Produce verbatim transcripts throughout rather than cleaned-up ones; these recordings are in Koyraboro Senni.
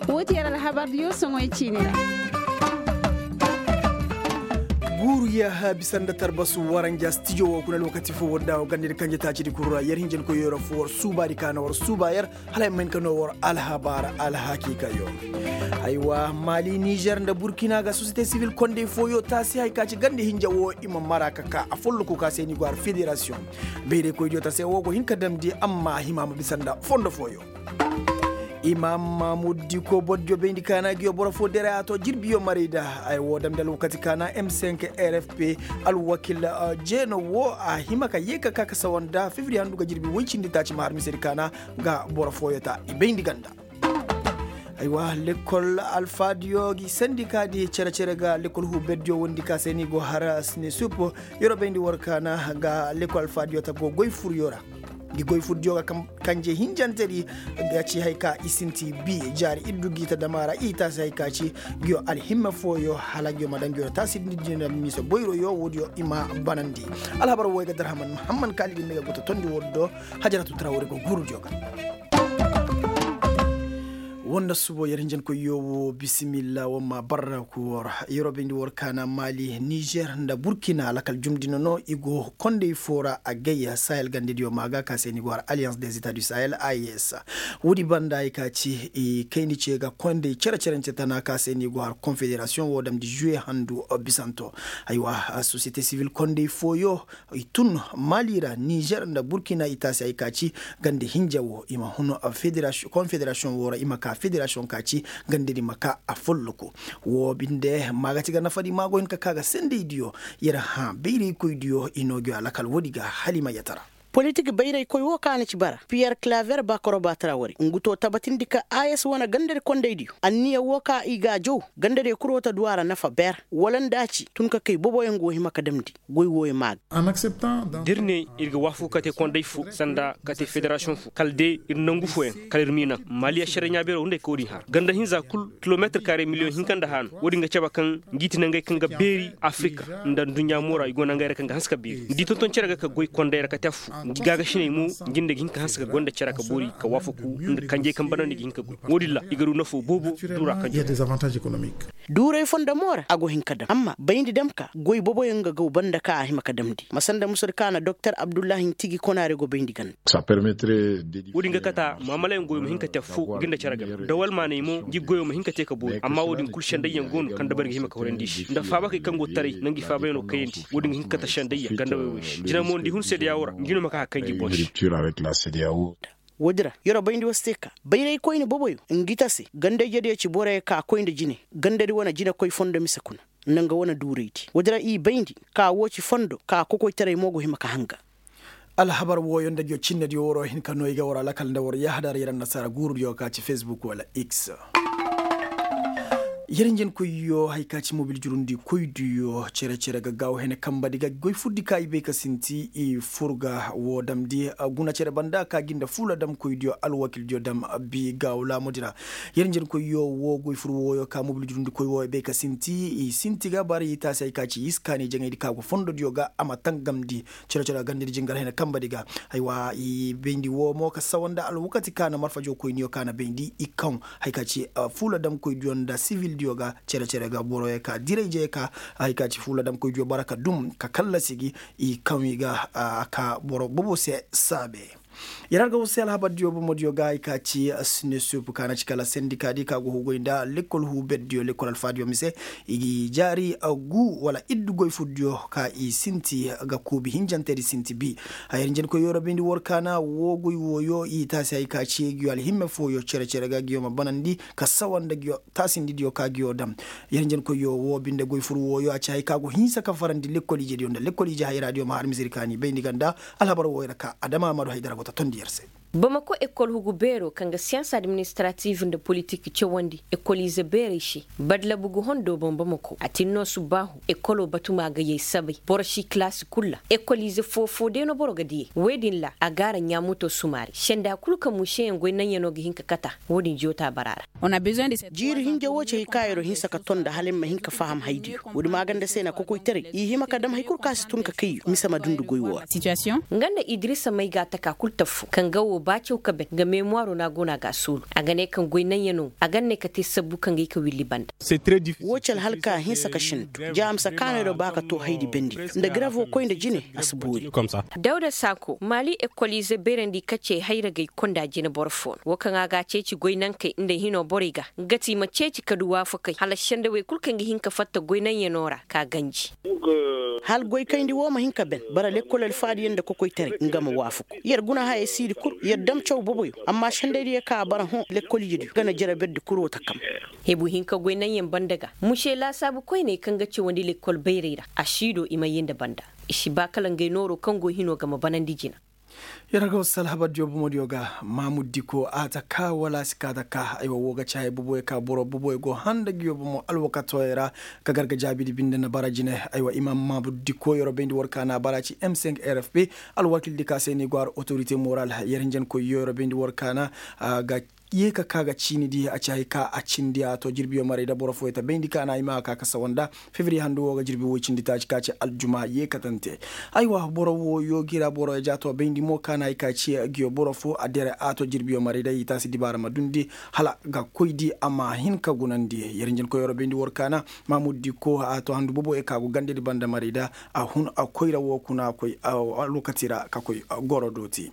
Wo ti yer alhabar diyo soŋoy ciini ra. Guuru yaaha bisa nda tarbasu waranja stijo wo kuna lokaci fo wadda wo ganda ir kanje taacidi kulu ra yer hinjankoyyo ra fo war suubaadi ka na war suuba yer. Hala ay ma hin ka no war alhabar alhakiikayo. Aywa, mali nizer nda burkina ga sosiyete sivil kondey fooyo taasi hari ka ci ganda hinja wo i ma mara ka ka a folloku ka se ni go har federasiyoŋ. Bayraykoydiyo ta se wo go hin ka damndi amma a hima ma bisa nda fondo fooyo. Imam mahmud diko bordiyo bayndi ka na giyo boro fo dere a to jirbiyo maray da. Ay wo damndi alwakati ka na m cinq r f p alwakil jeeno wo a hima ka yee ka ka ka sawa nda fifiri handu ga jirbi woy cindi taaci ma har misedi ka na ga boro fooyo ta i bayndi ganda. Aywa, lekkol alfaadiyo gi sendika di cere-cere ga lekkol huuberdiyo wondi ka se ni go har sine sup. Yero bayndi war ka na ga lekkol alfaadiyo ta go goy furyo ra. Gi goy furdiyo ga kanje hinjante di ga ci hay ka i sinti bi jaari iddu gi ta dama ra i taasi hay ka ci giyo alhimme fooyo hala giyo ma daŋ giyo ra taasi din din ra mise boyroyo woodiyo i ma banandi. Alhabar wo ay ga darhaman muhamman kaali din ne ga go ta tondi woddo. Hajaratu tara wori go guurudiyo ga. Wonda subo yer hinjankoyyo wo bisimilla wamma barraku wor. Yeroo bayndi wor kaana mali nizer nda burkina lakal jumdina no i go kondey foo ra a gay sahel gandediyo ma ga ka se ni go har alliance des etats du sahel a e s. Woodi banda ay ka ci i kayndi ce ga kondey cere-cerence tana ka se ni go har confederasiyoŋ wo damndi juwe handu bisanto. Aywa, sosiyete sivil kondey fooyo i tun mali ra nizer nda burkina i taasi ay ka ci gande hinja wo i ma hun konfederasiyoŋ wo ra i ma ka federasiyoŋ ka ci gande di ma ka a folloku. Wo binde maagati ga nafadi maago hin ka ka ga sendey diyo. Yer hã bayraykoy diyo i noo gi alakal woodi ga hala i ma yatara. Politik bayraykoy wo ka na ci bara piyer klaver bakoroba tara wari ngu to tabatindi ka a s wane gandadi kondaydiyo anniya wo ka i ga a jaw gandadiyo kul wo ta du a ra nafa ber wala nda a ci tun ka kay boboyaŋ go hima ka damndi. Goy wooyo ma ga. Da ir ne ir ga waafaku ka te konday fo sanda ka te federasiyoŋ fo kala de ir nangu fooyaŋ kala ir m'i naŋ mali ašaray ɲaabeero nda ay ka wo-din har ganda hinza kul kilometir kare miliyoŋ hinka nda haanu. Wo-din ga cabe kaŋ ngi ti nangey kaŋ ga beeri afirika nda nduɲɲa moora i go nangey ra kaŋ ga hanse ka beeri nda i tonton cere ga ka goy konday ra ka te affo ngi gaagasiney mo. Ngi nda ga hin ka hanse ka gonda cere ka boori ka waafaku nda kanjey kaŋ banandi ga hin ka goy wo-din ra i ga du nafo boobo duura kanjey. Duuray fondo mo ra a go hin ka dam amma bayndi dam ka goy boboyaŋ ga gaw banda ka a hima ka damndi ma sanda musadi ka na doktor abdullahi ntigi konaare go bayndi ganda. Wo-din ga kata maamalayaŋ goyo ma hin ka te affo ngi nda cere game da walmaaney mo ngi goyo ma hin ka te ka boori amma wo-din kul sendayyaŋ go no kaŋ dabari ga hima ka horandi se nda faabakey kaŋ go taray nda ngi faabayaŋo kayandi wo-din ga hin ka kate sendayya ganda way-way se jina mo nda i hun sedeyawo ra ngi no ma ka ka kay ngi boŋ se. Woodi ra yer bayndi war se ka bayraykoyne boboyo ngi ta se ganda-ijediyo ci boroyo ka koy nda jine gandadi wane jinekoy fondo mise kuna nda nga wane duuraydi woodi ra i bayndi ka woo ci fondo ka kokoytaray mo go hima ka hanga. Alhabar wooyo nda ngiyo cinnediyo waroo hin ka noo i ga war alakal nda war yahadar yer annasaara guurudiyo ka ci fesbuk wala x. Yer njenkoyyo haya ka ci mobil jurundikoydiyo cere-cere ga gaaw hene kambadi ga goy furdi ka i bay ka sinti i fur ga woo damndi guna cere banda ka gi nda fuula damkoydiyo alwakildiyo dam bi gaaw laamudi ra. Yer njenkoyyo woo goy fur wooyo ka mobil jurundikoy woo i bay ka sinti i sinti ga bara i taasi haya ka ci iskaani jaŋaydi ka go fondodiyo ga a ma tangamndi. Cere-cere gandadi jingar hene kambadi ga haywa i bayndi woo mo ka sawa nda alwakati ka na marfajo koyniyo ka na bayndi i kaŋ haya ka ci fuula damkoydiyo nda sivildiyo ga. Cere-cere ga boroyo ka dirayjey ka haya ka ci fuula damkoydiyo bara ka dum ka kallasi gi i kaŋ i ga a ka boro bobo se saabe. Yer har ga war se alhabardiyo bomodiyo ga haya ka ci sinesup ka na ci kala sendikadi ka go hugoy nda lekkol huuberdiyo lekkol alfaadiyo mise i ga i jaari gu wala iddu goy furdiyo ka i sinti ga kuubi hinjantedi sinti bi. Haya yer njenkoy yoro bayndi war ka na woo goy wooyo i taasi haya ka ci giyo alhimme fooyo cere-cere ga giyo ma banandi ka sawa nda giyo taasindidiyo ka giyo dam. Yer njenkoyyo woo binde goy fur wooyo a ci haya ka go hinsa ka farandi lekkol ijediyo nda lekkol ije hayraadiyo ma har misiri kaani bayndi ganda. Alhabar wooyo ra ka adama amadu haydara go ta tondi yer se. Bamako ekol hugu beeroo kaŋ ga siyans administratif nda politik cawandi ekol ize beerey se badlabu ga hondo boŋ bamako a tin no subbaahu ekoloo batumaa ga yay sabay boro si kilaasi kul ra. Ekol ize foo-foo day no boro ga diyey wey din ra a gaara ɲaamuto sumaari senda kul kaŋ museyaŋ goy naŋyanoo ga hin ka kata. Wo-din joota bara ra. Jiiri hinja woo ci hay ka yeroo hinsa ka ton nda hala ay ma hin ka faham haydiyo. Woodi maaganda se na kokoytaray i hima ka dam hay kul kaŋ a si tun ka kayyo mise ma dundi goy woo ra. Nga nda idirisa may ga a taka kul taffu kaŋ ga woo. Ba caw ka ben nga memuwaaro no a go no a ga a soolu a ga ne kaŋ goy naŋ ya no a ga ne ka te sabbu kaŋ ga i ka willi banda. Wo ci alhalka hinsa ka sintu ja a ma si kaanay do ba ka to haydi bendi nda garevo koy nda jine a si boori. Dawda saako maali ekoliize beerandi ka ce hayragey konda jine boro fo no wo kaŋ a ga a ceeci goy nankey nda hino borey ga nga ti i ma ceeci ka du waafakey hala sendawey kul kaŋ ga hin ka fatta goy naŋ ya no ra ka ganji. Hala goy kayndi wo ma hin ka ben bara lekkol alfaadiyaŋ nda kokoytaray nga ma waafaku. Yer guna hayey siidi kul yer dam caw boboyo amma sendaydiyo kaŋ a bara hõ lekkol ijediyo ga na jere berdi kul wo ta kam. Hebu hinka goy naŋyaŋ banda ga muse laasaabu koyney kaŋ ga cawandi lekkol bayray ra a si do i ma yee nda banda. I si ba kala ngey nooro kaŋ go hino ga ma banandi jina. Yer ga wasu alhabardiyo bomodiyo ga maamuddi ko a ta ka wala a si ka ta ka aywa wo ga caayi boboyo ka boro boboyo go handa nguyo bomo alwakatooyo ra. Ka gar ga jaabidi binde na bara jine aywa i ma maamuddi ko yer wo bayndi war ka na a bara ci m cinq r f p. Alwakildi ka se ni go har otorite moral yer hinjankoyyo yer wo bayndi war ka na a ga ye ka ka ga ciini di a ci hay ka a cindi a to jirbiyo maray da boro fooyo ta bayndi ka na i ma a ka ka sawa nda. Fevriye handu wo ga jirbi woy cindi taaci ka ci aljuma ye katante. Aywa boro wooyo gira boro ya ja to bayndi mo ka na hay ka ci giyo boro foo a dere a to jirbiyo maray da i taasi dibaara ma dundi hala ga koy di a ma hin ka gunandi yer njenkoyoo ra bayndi war ka na. Maamuddi ko a to handu boboyo ka go gandedi banda maray da a hun a koyra wo kuna koy alwakati ra ka koy goro dooti.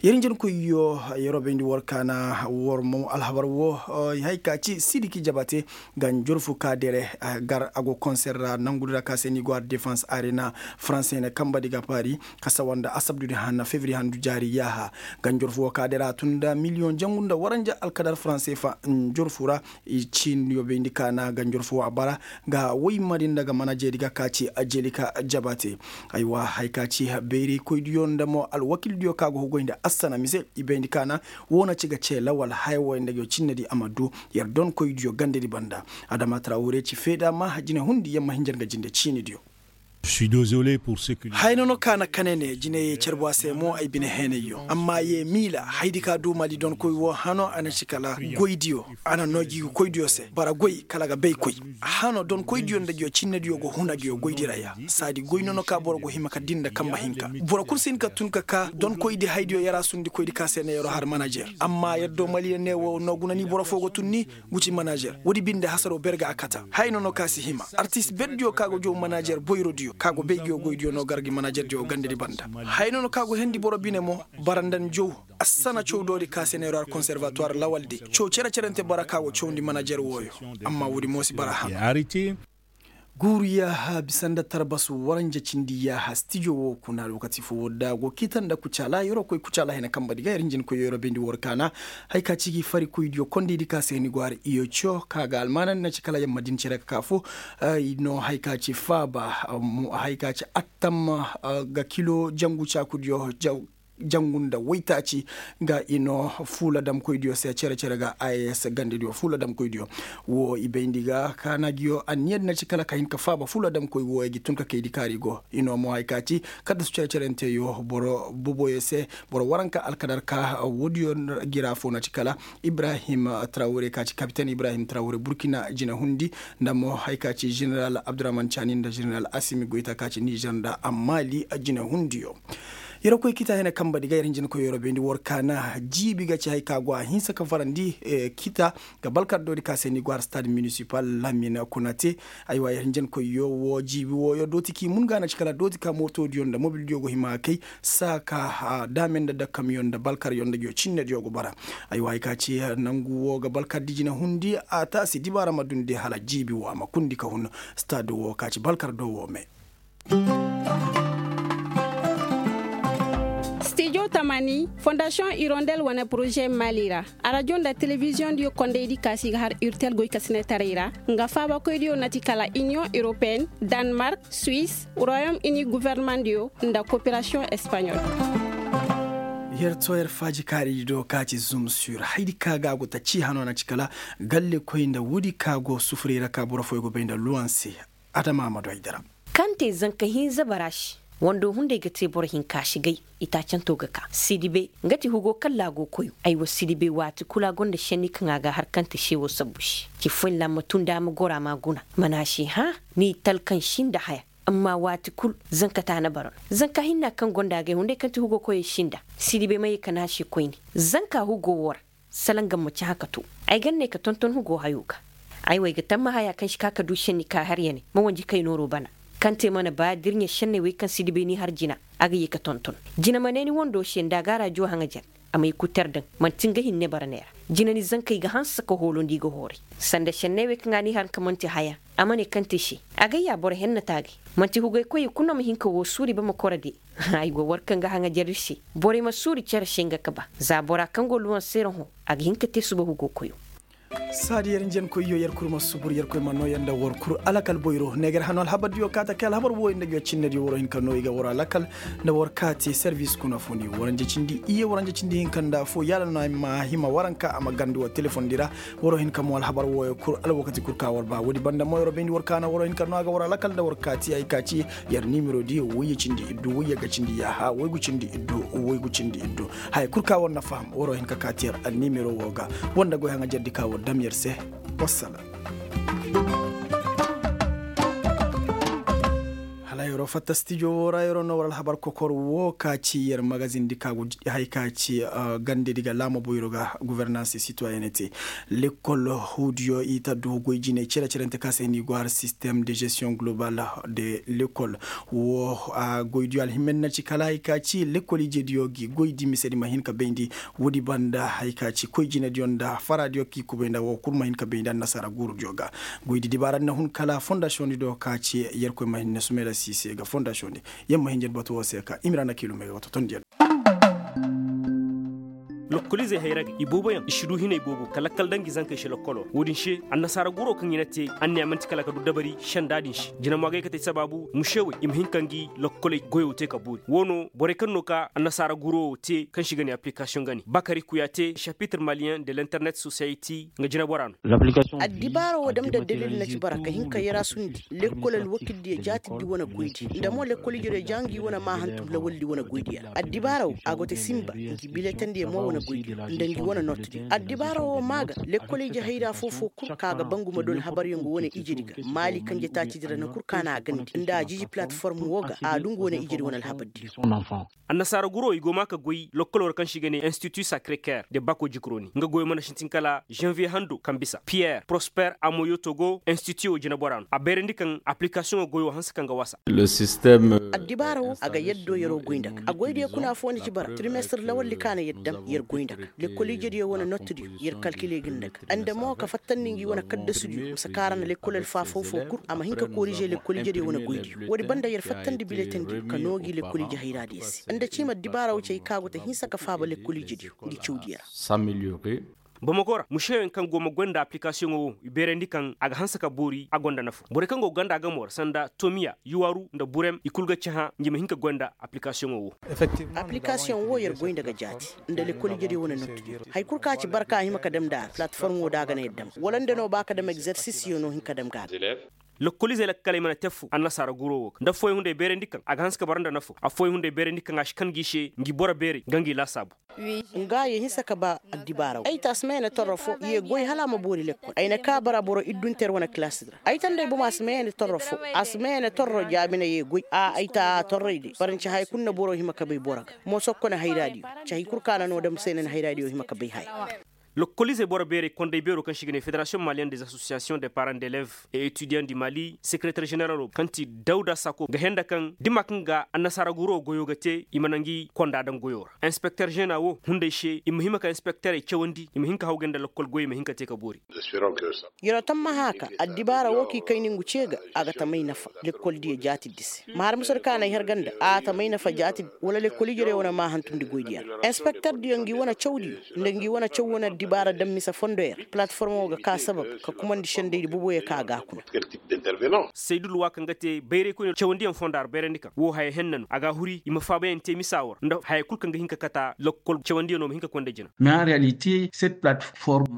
Yer njenkoyyo yer wo bayndi war ka na war mo alhabar wo. Hay ka ci sidiki jabate ga njorfu ka dere gar a go konser ra nangudi ra ka se ni go har defans arena. Faranse ne kambadi ga paari ka sawa nda asabdudi hanna fevriye handu jaari yaaha. Ga njorfu wo ka dere a tun nda miliyoŋ jangu nda waranja alkadar faranse fa njorfu ra. I ciiniyo bayndi ka na ga njorfu wo a bara ga woy mari nda ga manajeedi ga ka ci ajelika jabate. Aywa hay ka ci bayraykoydiyo nda mo alwakildiyo ka go hugoy nda assana mise i bayndi ka na wo na ci ga cee lawal haya woy nda ga yo cinnedi a ma du. Yer donkoydiyo gandedi banda adama tara wure ci feeda ma jine hundi yer ma hinja nga jinde ciinidiyo. Haya no no ka na kane ne jineye carbu a se mo ay bine heenayyo amma ye miila haydi ka du mali donkoy wo hano a na ci kala goydiyo. A na noo jiigu koydiyo se bara goy kala ga bay koy. Hano donkoydiyo nda jiyo cinnediyo go huna jiyo goydi ra ya saadi goy no no ka boro go hima ka din nda kambe hinka. Boro kul si hin ka tun ka ka donkoydi haydiyo yara sundikoydi ka se ne yero har manajer amma yer do maliya ne wo no guna ni boro foo go tun ni. Guci manajer woodi binde hasaro ber ga a kata haya no no ka si hima artis berdiyo ka go jow manajer boyrodiyo ka go bay jiyo goydiyo no gar gi manajerdiyo gandedi banda. Haya no no ka go hendi boro bine mo bara nda ni jow. Assana cawdoodi ka se neero har konservatuwar lawaldi caw cere-cerente bara ka go cawndi manajer wooyo. Amma woodi mo si bara hana. Guuru yaaha bisa nda tarbasu waranja cindi yaaha stijo woo kuna lookati foo woo da go kiita nda kucaala yeroo koy kucaala hena kambadi ga yer njenkoyyo yeroo bayndi war kaana. Haya ka ci gi farikoydiyo kondaydi ka se ni go har iyoco ka ga almaanandi na ci kala yamma din cere ka kaa foo. I no haya ka ci faaba haya ka ci attam ga kilo jangu caakudiyo jangu nda waytaaci. Ga i no fuula damkoydiyo se cere-cere ga a s gandediyo fuula damkoydiyo. Woo i bayndi ga kaana giyo anniyadi na ci kala ka hin ka faaba fuula damkoy wooyo gi tun ka kaydi kaari go i no mo haya ka ci kaddasu cere-cerenteyo boro boboyo se. Boro waranka alkadarka woodiyo gi ra foo na ci kala ibrahim trawre ka ci kapiten ibrahim trawre burkina jinehundi nda mo haya ka ci ženeral abdurahman caani nda ženeral asimi goyta ka ci nizer nda maali jinehundiyo. Yeroo koy kita hene kamba di ga yer hinjinkoy yeroo bayndi war kaana jiibi ga ci haya ka go a hinsa ka farandi kita ga balkardoodi ka se ni go har stade munisipal lamina kuna te. Aywa yer hinjinkoyyo woo jiibi wooyo dooti k'i mun ga na ci kala dooti ka mootoodiyo nda mobildiyo go hima kay saa ka daame nda dakkamyo nda balkaryo nda giyo cinnediyo go bara. Aywa haya ka ci nangu woo ga balkardi jinehundi a taasi dibaara ma dundi hala jiibi woo a ma kundi ka hun stade woo ka ci balkardo woo me. Stijo tamani fondasiyoŋ irondel wane poroze maali ra arajo nda telebiziyoŋ diyo kondaydi ka si ga har urtel goykasinetaray ra. Nga faabakoydiyo na ti kala iniyoŋ europeen, danmark, suwis, royom ini governemandiyo nda koperasiyoŋ espaɲol. Yer to yer faajikaaridi do ka ci zum sur haydi ka ga a go ta ci hano na ci kala gallekoy nda woodi ka go sufuray ra ka boro fooyo go bay nda luwanse. Adama ma du ay dira. Kaŋ te zanka hinza bara se wando hunday ga te boro hinka si gay. Itaacanto ga ka sidibe nga ti hugo kaŋ laago koyo. Aywa sidibe waati kulu a gonda šenni kaŋ a ga har kaŋ te se wo sabbu se. Ci foyne ra ma tun da a ma goro a ma guna mana se hã. Ni talkan sinda haya. Amma waati kul zanka taana bara no. Zanka hinna kaŋ gonda agay hunday kaŋ ti hugo koyey sinda, sidibey ma ye ka naase koyne. Zanka hugo woo ra, sala nga ma cahã ka too. Ay ga ne ka tonton hugo hayo ga. Ay wo ay ga tamma haya kaŋ si ka ka du šenni ka har ya ne ma wanji kay nooro bana. Kaŋ te mana ba da ir ɲa šenney wey kaŋ sidibey n'i har jina, a ga ye ka tonton. Jina ma ne ni wando se nda a ga a raajo haŋajer, a ma i kuter daŋ. Man'ti nga hinne bara neera. Jina ni zankey ga hanse ka hoolondi i ga hooray. Sanda šenney wey kaŋ a n'i har ka man'ti haya, a ma ne kaŋ te se. Agay ya boro henna taagay. Man'ti hugay koyey kul no ma hin ka woo suuri ba ma koro de. Ay go war kaŋ ga haŋajer ir se. Borey ma suuri cere se nga ka ba za bora kaŋ go luwanseera hõ, a ga hin ka te suba hugo koyo. Saadi yer njen koyyo yer kul ma subur yer koy ma nooya nda war kul alakal boyro neegar hano alhabardiyo kaata kay alhabar wooyo nda ngiyo cinnediyo waro hin ka noo i ga waro alakal. Nda war kaati servis kuna funi waranja cindi iye waranja cindi hinka nda fo yaala no ay ma hima waranka a ma gandi war telefondi ra. Waro hin ka mo alhabar wooyo kul alwakati kul ka war ba woodi banda mo yaro bayndi war kaana waro hin ka noo a ga waro alakal nda war kaati ay ka ci. Yer nimero di woyye cindi iddu woyye ga cindi yaaha woygu cindi iddu woygu cindi iddu. Haya kul ka war na faham waro hin ka kaati yer alnimero woo ga. War nda goy haŋajer di ka war dam yer se. Wassalam. Hala yeroo fatta stijo woo ra yeroo no war alhabar kokor woo ka ci yer magazin di ka hay ka ci gande di ga laama boyro ga guvernanse sitoyenete. Lekkol huudiyo i ta du goy jinay cere-cerente ka se ni go har sistem de gestion global de lekkol. Woo goydiyo alhimmedi na ci kala hay ka ci lekkol ijediyo gi goydi misedi ma hin ka bayndi. Woodi banda hay ka ci koy jinediyo nda faradiyo k'i kubay nda woo kul ma hin ka bayndi annasaara guurudiyo ga. Goydi dibaaradi na hun kala fondasiyoŋdi do ka ci yerkoy ma hin na sumayda siise ga fondasiyoŋdi. Yer ma hin jed batu woo se ka i ma ra na kiilum ay ga batu tondiyo. Lokkoliizey hayra ga ibooboyaŋ i si du hinay boobo ka lakkal daŋ ngi zankey se lokkoloo ra woodin se. Annasaara guroo kaŋ i na te anniya man'ti kala ka du dabari senda din se jina mo agay ka te sabaabu musewey i ma hin ka ngi lokkoley goyoo te ka boori woo no borey kaŋ no ka annasaara guroo te kaŋ se i ga ne aplikasiyoŋ ga ne bakari kuya te sapitre maliyeŋ de l'internet sosiyeti nga jinabora no. Addibaara woo dam nda dalil na ci bara ka hin ka yaraasundi lekkol alwakildiyo jaatiddi wane goydi nda mo lekkol ijediyo ja ngi wane maa hantum lawaldi wane goydiyo ra addibaara woo a go te sinba ngi biletandiyo mo wane goydiyo nda ngi wane notdiyo addibaara woo maa ga lekkol ije hayra foo-foo kul ka ga bangu ma du alhabaryaŋ go wane ijedi ga maali kanje taacidi ra na kul ka na a gandi nda a jiji palatiform woo ga a du ngu wane ijedi wane alhabardiyo. Annasaara guroo i go maa ka goy lokkoloo ra kaŋ se i ga ne institu sakre ker de bako jikroni nga goyoo mana sintin kala zanviye hando kaŋ bisa piyer prosper amoyoto go institu woo jineboraa no a bayrandi kaŋ aplikasiyoŋoo goyoo hanse kaŋ ga wasa. Addibaara woo a ga yaddo yeroo goy nda ga a goydiyo kuna foo na ci bara trimestir lawaldi ka na yer dam yer goy nda ga lekkol ijediyo wane notdiyo yer kalkile ga nda ga nda mo ka fattandi ngi wane kaddasudiyo ma si kaara nda lekkol alfaa foo-foo kul a ma hin ka korize lekkol ijediyo wane goydiyo woodi banda yer fattandi biletandiyo ka noo ngi lekkol ije hayraadiyo se nda ciima addibaara woo cay ka go te hinsa ka faaba lekkol ijediyo ngi cawdiyo ra. Bamako ra museyoŋ kaŋ go ma goy nda aplikasiyoŋo wo i beerandi kaŋ a ga hanse ka boori a gonda nafa borey kaŋ go ga ganda a gamoo ra sanda tomiya yuwaru nda burem i kul ga cahã ngi ma hin ka goy nda aplikasiyoŋo wo. Aplikasiyoŋ wo yer goy nda ga jaati nda lekkol ijediyo wane nottudiyo haya kul kaŋ a ci barka a hima ka dam nda a ra palatiform wo da a ga na yer dam wala nda no ba ka dam egzersisiyo no hin ka dam ga a ga. Lokkoliizey lakkaley mana te fu annasaara guroo wo ga nda affooyaŋ hunday beerandi kaŋ a ga hanse ka bara nda nafa affooyaŋ hunday beerandi kaŋ a si kan ngi se ngi boro beerey ga ngi laasaabu. Nga ye hinsa ka ba addibaaraw ay ta a si may na torro fo ye goy hala a ma boori lekkol ay na ka bara boro iddunter wane kilaasi di ra ay ta nda ay bomo a si may na torro fo a si may na torro jaabina ye goy a ay ta a torrey de baranci haya kul na boro hima ka bay boro ga. Moso kone hayraadiyo cahi kul ka na no dam se na ni hayraadiyo hima ka bay haya. Lokkoliizey boro beerey konday beeroo kaŋ se i ga ne federasiyoŋ maliyen des asosiyasiyoŋ de paran d'eleve e etidiyandi mali sekereter jeneralo kaŋ ti dawda sako ga henda kaŋ dima kaŋ ga annasaara guroo goyoo ga te i ma na ngi konda daŋ goyoo ra inspekter žena wo hunday se i ma hima ka inspekterey cawandi i ma hin ka hawgay nda lokkol goyey ma hin ka te ka boori. Yeroo tammaha ka addibaara wo kaŋ i kayni ngu ce ga a ga tamay nafa lekkol diya jaatiddi se ma har musur kaŋ a na ay har ganda a tamay nafa jaatiddi wala lekkol ijediyo wane ma hantumndi goydiya ra inspekterdiyo ngi wane cawdiyo nda ngi wane caw wane addibaara daŋ mise fondoyo ra palatiformo ga ka sabab ka kumandi sendaydi boboyo kaŋ a ga a kuna. Saydu luwa kaŋ ga te bayraykoyne cawandiyaŋ fonda ra bayrandi kaŋ wo haya henna no a ga a huri i ma faabayaŋ te misa wo ra nda haya kul kaŋ ga hin ka kata lokkol cawandiyaŋo ma hin ka konda jina.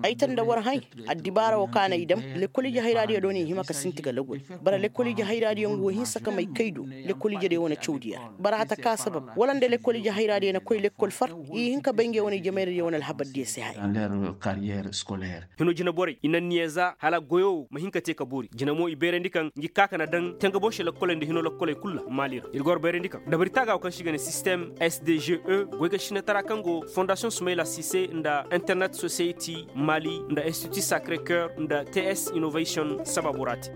Ay ta nda war hay addibaara wo kaŋ a na ay daŋ lekkol ije hayraadiyo do no i hima ka sinti ga lagol. Bara lekkol ije hayraadiyo nga wo hinsa ka may kay do lekkol ijediyo wane cawdiyo ra bara hata ka sabab wala nda lekkol ije hayraadiyo na koy lekkol far i hin ka bay ngey wane ije mayradiyo wane alhabardiyo se haya. Carrière scolaire. Hino jinaborey i na niya za hala goyo wo ma hin ka te ka boori jina mo i bayrandi kaŋ ngi ka ka na daŋ tengabonse lokkoley nda hino lokkoley kulu ra maali ra ir ga war bayrandi kaŋ dabari taaga wo kaŋ se i ga ne sistem sdge goy ga sinatara kaŋ go fondasiyoŋ sumayla sise nda internet society maali nda institut sacre coeur nda ts innovation sababo ra te.